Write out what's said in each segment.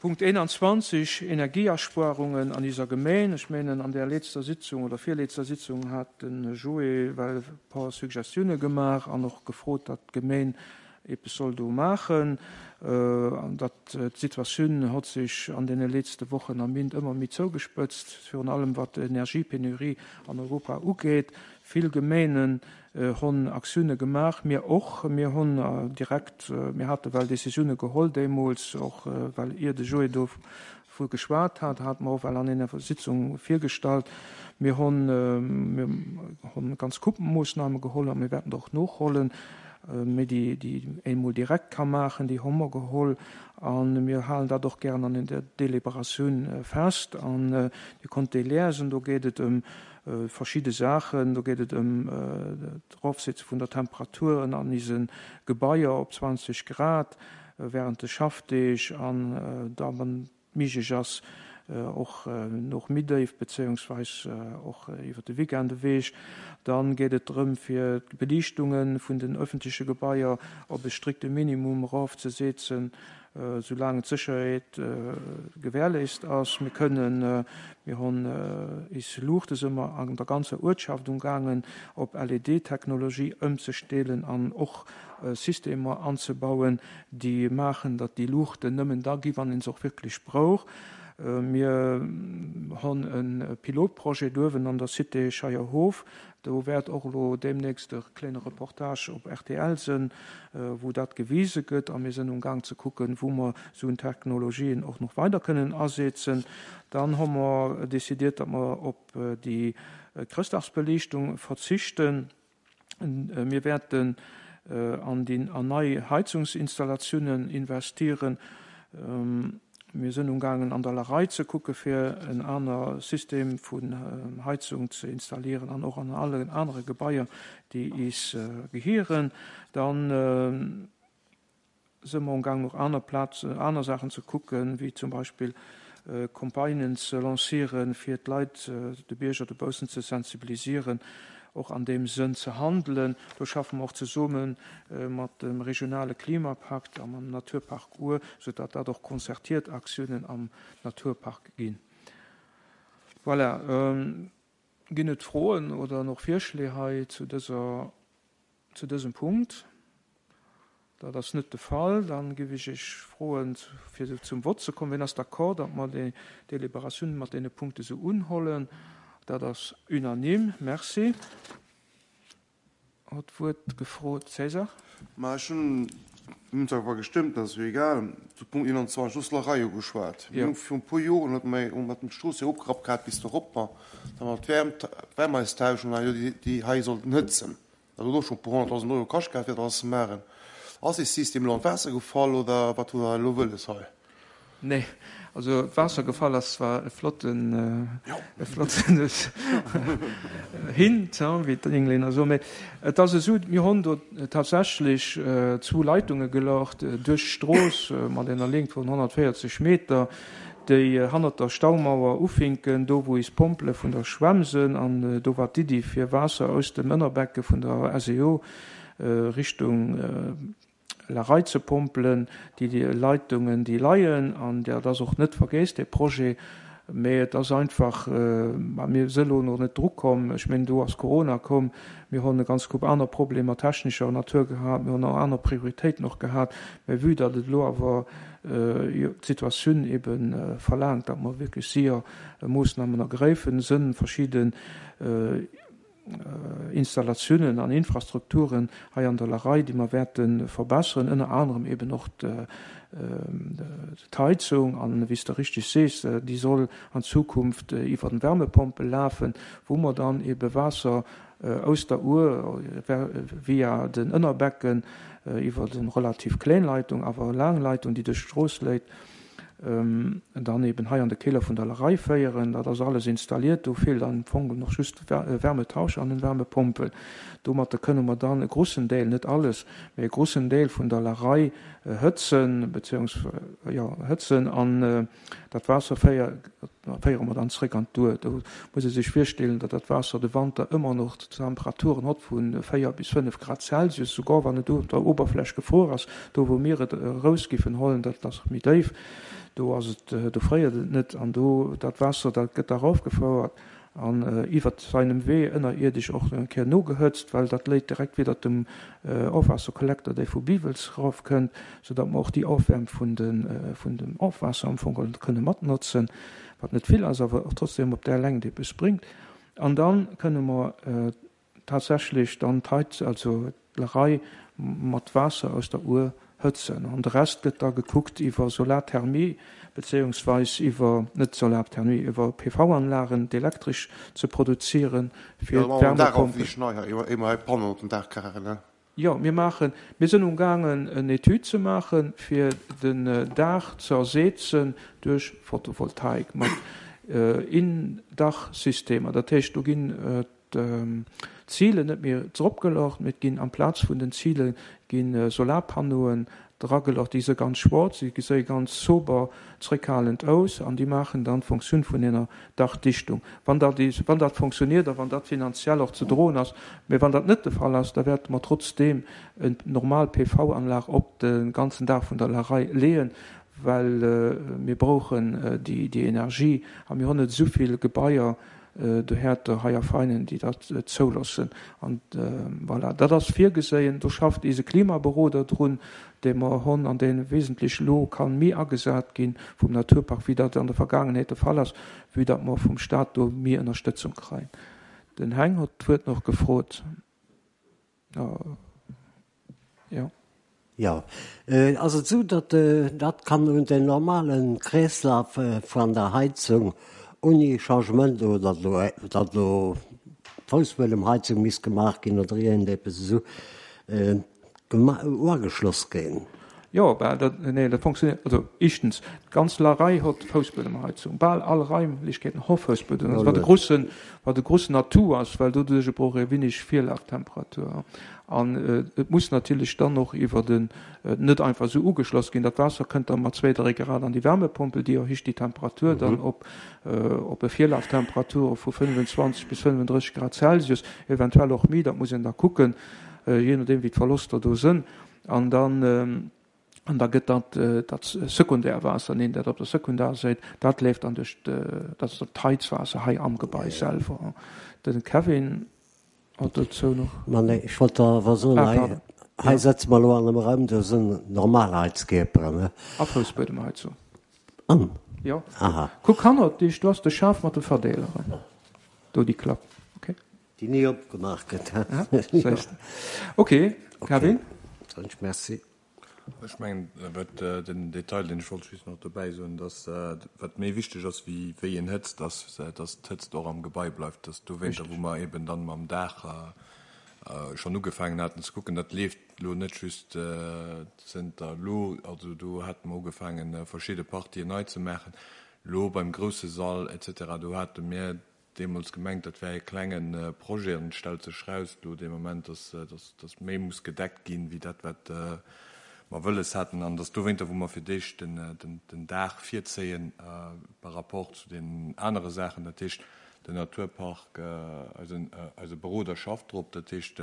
Punkt 21, Energieaspuarungen an iser Gemeen. Ech menen, an där letzter Sitzung oder virletzter Sitzung hat de Joé well e paar Suggestiounen gemaach an och gefrot, datt d'Gemeen eppes soll do maachen. An datt d'Situatioun hott sech an deene letzte Wochen a Méint ëmmer méi zougespëtzt, virun allem wat d'Energiepenurie an Europa ugeet. Vill Gemeenen Honn Aktioune gemaach, mir och. Mir honn direkt, mir hate well Décisioune geholl deemools, och well ier de Joé dovu geschwat hat, hate mer och well an enger Sitzung virgestallt. Mir honn, mir honn ganz Coupe Moossname geholl a mir wäerten der och nohollen. Mee déi, déi een emol direkt ka maachen, déi hu mer geholl a mir halen dat och gären an der Deliberatioun fest. An Dir konnt déi liesen, do geet et ëm verschidde Saachen. Do geet et ëm d'Erofsetze vun der Temperaturen an ise Gebaier op 20 Grad während de Schaffdeeg an da wann et méiglech ass och noch méi déif bezéiungsweis och iwwer de Weekend ewech. Dann geet et drëm fir d'Beliichtunge vun den öffentleche Gebaier op e strikte Minimum erofzesetzen. Soulaang d'Sécherheet gewährleist ass. Mir kënnen, mir hunn is Luuchte si mer an der ganzer Uertschaft umgaangen op LED-Technologie ëmzestelen an och Systemer anzebauen, déi maachen, datt déi Luuchten nëmmen da gi wann een se och wierklech brauch. Mir hunn e Pilotprojet uewen an der Cité Scheierhof, Do wäert och elo deemnächst e kléine Reportage op rtl sënn, wou dat gewise gëtt. A mir sënn um Gaang ze kucken, wou mer esou Technologien och nach weider kënnen asetzen. Dann hu mer décidiert, datt mer op déi Chrëschtdagsbeliichtung verzichten. Mir wäerten an déi an nei Heizungsinstallatiounen investieren. Mir sënn umgaangen an der Larei ze kucke fir en aner System vun Heizung ze installieren an och an allen anere Gebaier déi is gehieren. Dann së mer umgaangen och aner Plazen, aner Saachen ze kucken, wéi zum Beispill Campagnen ze lancieren, fir d'Leit, de Bierger dobaussen ze sensibilisieren, och an deem Sënn ze handelen. Do schaffe mer och zesumme mat dem regionale Klimapakt a mam Naturpark Our, soudatt dat och konzertiert Aktiounen am Naturpark ginn. Voilà. Ginn et Froen oder och Virschléi hei zu dëser, zu dësem Punkt? Dat ass net de Fall. Dann géif ech Iech froen, fir zum Vott ze kommen. Wien ass d'accord, datt mer déi Deliberatioun mat deene Punkte sou unhollen? Dat ass unanime. Merci. Huet d'Wuert gefrot, César. Ma ech hunn, mir hunn zwar awer gestëmmt, dat ass jo egal, zu Punkt 21 Rüsslerei ugeschwat. Mir hu virun e puer Joren huet mer hu mer d'Strooss jo opgerappt gehat bis doropper, da mer d'Wäermt, d'Wärm eis tauschen an jo déi déi hei sollten hëtzen. Dat huet och scho e puer honnertdausend Euro kascht gehat fir dat alles ze maachen. Ass dee System elo an d'Waasser gefall oder wat hutt Der elo wëlles hei? Nee, also d'Waasser gefall ass zwar e flotten, e flotten Hint, wéi d'Englänner soen, mee et ass esou, mir hunn do tatsächlech zwou Leitunge gelocht duerch d'Strooss mat enger Längt vun 140 Meter, déi hannert der Staumauer ufinken, do wou is Pompele vun der Schwämm sënn, an do war d'Iddi fir Waasser aus dem Ënnerbecke vun der SEO Richtung La Rei ze pompelen, déi Leitungen, déi leien, an dat ass och net vergéss, dee Projet, mä et ass einfach, ma mir si elo nach net drukomm, ech mengen, do ass Corona komm, mir hunn e ganz Koup aner Problemer technescher Natur gehat, mir hunn och aner Prioritéiten och gehat, mä vue datt et elo awer d'Situatioun ebe verlaangt, datt mer wierklech séier Moossnamen ergräifen, sënn verschidde Installatiounen an Infrastrukturen hei an der Larei, déi mer wäerte verbesseren, ënner anerem eben och d'Heizung. An, wéi s de richtig sees, déi soll an Zukunft iwwer Wärmepompel lafen, wou mer dann ebe Waasser aus der Our via den Ënnerbecken iwwer eng relativ kléin Leitung, awer laang Leitung, déi duerch d'Strooss léit, dann eben hei an de Keller vun der Lerei féieren. Dat ass alles installiert. Do feelt am Fong nach just e Wärmetauscher an en Wärmepompel. Domatter kënne mer dann e grussen Deel, net alles, mee e grussen Deel vun der Lerei hëtzen, beziehungs-, jo, hëtzen an dat Waasser féiere mer dann zréck an d'Our. Do muss ee sech virstellen, datt dat Waasser de Wanter ëmmer nach Temperaturen hott vu 4 bis 5 Grad Celsius, souguer wann et un der Oberfläch gefruer ass. Do wou mir et eraus giffen hollen, dat ass méi déif. Do ass et, do fréiert et net an do dat Waasser, dat gëtt da raufgefouert an iwwert seinem Wee ënnerierdesch och eng Kéier nogehëtzt, well dat léit direkt widdert dem Ofwaasserkollekter, dee vu Biwels raufkënnt, soudatt mer och déi Ofwäermt vun de vun dem Ofwaasser am Fong kënne matnotzen, wat net vill ass, awer och trotzdem op där Längt eppes bréngt. An da kënne mer tatsächlech dann d'Heiz, also d'Lerei mat Waasser aus der Our hëtzen. An de Rest gëtt da gekuckt iwwer Solarthermie, bezéiungsweis iwwer, net Solarthermie, iwwer PV-Anlagen d'Elektresch ze produzieren fir d'Wärmepompel. Jo, mir maachen, mir sinn umgaangen en Etüd ze maachen, fir den Daach ze ersetzen duerch Photovoltaik mat Indachsystemer. Dat heescht, do ginn d'Zilen net méi dropgelocht, mee et ginn amplaz vun den Zile gi Solarpannoen dragelocht. Déi si ganz schwarz, déi geséie ganz sober, zréckhalend aus an déi maachen dann d'Fonktioun vun enger Dachdichtung. Wann dat, wann dat fonctionniert a wann dat finanziell och ze droen ass. Mee wann dat net de Fall ass, da wäerte mer trotzdeem en normal PV-Anlag op de ganzen Daach vun der Lerei leeën, well mir brauchen déi, déi Energie a mir hunn net esou vill Gebaier dohärter hei a Veinen, déi dat zouloossen. An voilà, dat ass virgeséien. Do schafft eise Klimaberoder drun, dee mer honn an dee wesentlech elo ka méi agesat gi vum Naturpark, wéi dat an der Vergaangenheet de Fall ass, vue datt mer vum Stat do méi Ënnerstëtzung kréien. Den Heng hott d'Wuert nach gefrot. Jo. Jo. Ass et esou, datt dat kann un den normale Kreeslaf van der Heizung ouni Changement oder datt elo datt elo d'Foussbuedemheizung misst gemaach ginn oder iergendepes esou uageschloss ginn? Jo, bal dat, nee, dat fonctionnéiert, also éischtens, d'ganz Larei hott Foussbuedemheizung, bal all Raimlechkeeten ho Foussbuedemheizung, wat e grussen, wat e grussen Atout ass, well doduerch brauch ee winnig Virlaftemperatur. An et muss natierlech dann och iwwer en, net einfach esou ugeschloss ginn, dat Waasser kënnt da mat zwéi, dräi Grad an déi Wärmepompel, déi erhéicht déi Temperatur dann op, op e Virlaftemperature vu 25 bis 35 Grad Celsius, eventuell och méi, dat muss een da kucken, jee nodeem wéi d'Verloster do sënn. An dann, an da gëtt dat, dat Sekundärwaasser, neen, dat op der Sekundarsäit, dat leeft dann duerch, dat ass dann d'Heizwaasser hei am Gebai selwer. De Kevin hat dozou nach. Ma nee, ech wollt der awer soen, Ah, hei, hei sëtze mer elo an engem Raum, do sinn normal Heizkierperen, ne? A Foussbuedemheizung. An? Jo. Aha. Kuck hannert dech, do ass de Schaf mat de Verdeeleren. Do déi Klapp. Okay. Déi ni opgemaach gëtt. Séiss de. Ok, Kevin. Soen ech Merci. Ech mengen, wat den Detail, deen ech wollt just nach dobäi soen, dass wat méi wichteg ass wéi wéi een hëtzt, ass, dass d'Hëtzt och am Gebai bleift. Dass dowéinter, wou mer eben dann mam Daach schonn ugefaangen haten ze kucken, dat leeft elo net just zënter elo, also do hate mer ugefaangen verschidde Partien nei ze maachen, elo beim grousse Sall et cetera, do hate mir deemools gemengt, dat wär e klenge Projet an et stellt sech raus elo dee Moment, dass, dass méi muss gedeckt ginn, wéi dat, wat mer wëlles haten. An dass dowéinter, wou mer fir d'éischt den, den Daach virzéien par rapport zu deenen anere Saachen, dat heescht, den Naturpark, eisen, eise Beroder schafft drop, dat heescht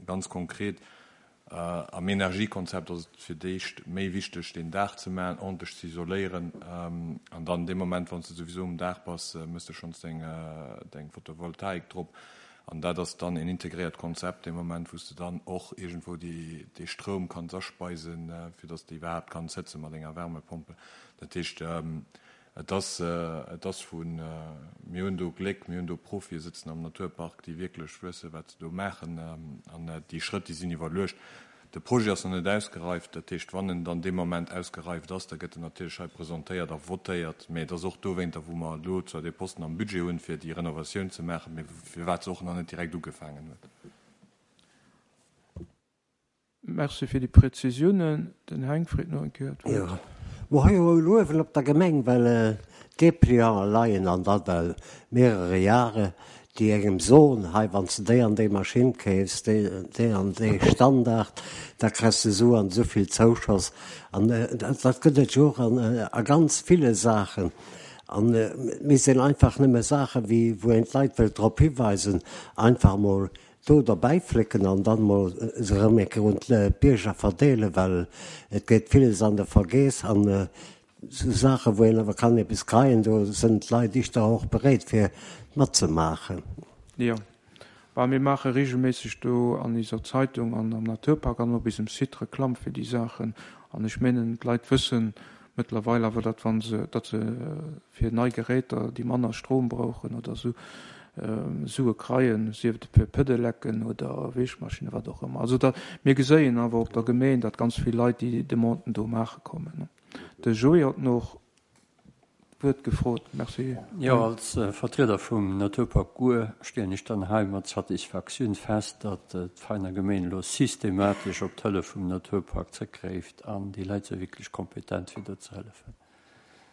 ganz konkret, Am Energiekonzept ass et fir d'éischt méi wichteg, deen Daach ze maachen, ordentlech ze isoléieren. An dann dee Moment, wann s de souwisou um Daach bass, méchs de schonns deng Photovoltaik drop. An dat ass dann een integréiert Konzept, dee Moment, wou s de dann och iergendwou dee Stroum kanns aspeisen, fir datt s de iwwerhaapt kanns hëtze mat enger Wärmepompel. Dat heescht, Et ass, et ass vu, mir hunn do Gléck, mir hunn do Profie sëtzen am Naturpark, déi wierklech wësse wat se do maachen. An déi Schrëtt, déi sinn iwwerluecht. De Projet ass nach net ausgereift. Dat heescht, wann en dann dee Moment ausgereift ass, da gëtt en natierlech hei presentéiert a votéiert. Mee et ass och dowéinter, wou mer elo zwar dee Posten am Budget hunn, fir déi Renovatioun ze maachen, mee firwat se och nach net direkt ugefaangen huet. Merci fir déi Präzisiounen. Den Heng freet nach eng Kéier d'Wuert. Jo, mer hu jo elo uewen op der Gemeng, well d'Deplianten leien an dat well mehrere Jahre, déi engem soen, hei wann s de déi an déi Maschinn keefs, déi déi an dee Standard, da kriss de esou an esou vill Zouschoss. An dat gëtt et jo och an a ganz ville Saachen. An et misst een einfach nëmme Saachen, wéi wou een d'Leit wëllt drop hiweisen, einfach emol do derbäi flécken an dann mol se erëm eng Kéier un d'Bierger verdeelen, well et geet villes an de Vergeess an. Sou Saachen, wou een awer kann eppes kreien, do sënn d'Leit ischter och bereet fir matzemaachen. Jo, bah mir maache regelméisseg do an iser Zeitung an am Naturpark an op isem Site Reklamm fir déi Saachen. An ech menen d'Leit wëssen mëttlerweil awer, datt wann se, datt se fir nei Geräter, déi manner Strom brauchen oder sou, Sue kreien, sief et fir Pedelecken oder Wäschmaschinen, wat och ëmmer. Also da, mir geséien awer op der Gemeen, datt ganz vill Leit déi Demanden do maache kommen. De Joé hott noch d'Wuert gefrot. Merci. Jo, als Vertrieder vum Naturpark Our stellen ech dann hei mat Satisfaktioun fest, datt d'Veiner Gemeen elo systematesch op d'Hëllef vum Naturpark zrëckgräift an déi Leit si wierklech kompetent fir do ze hëllefen.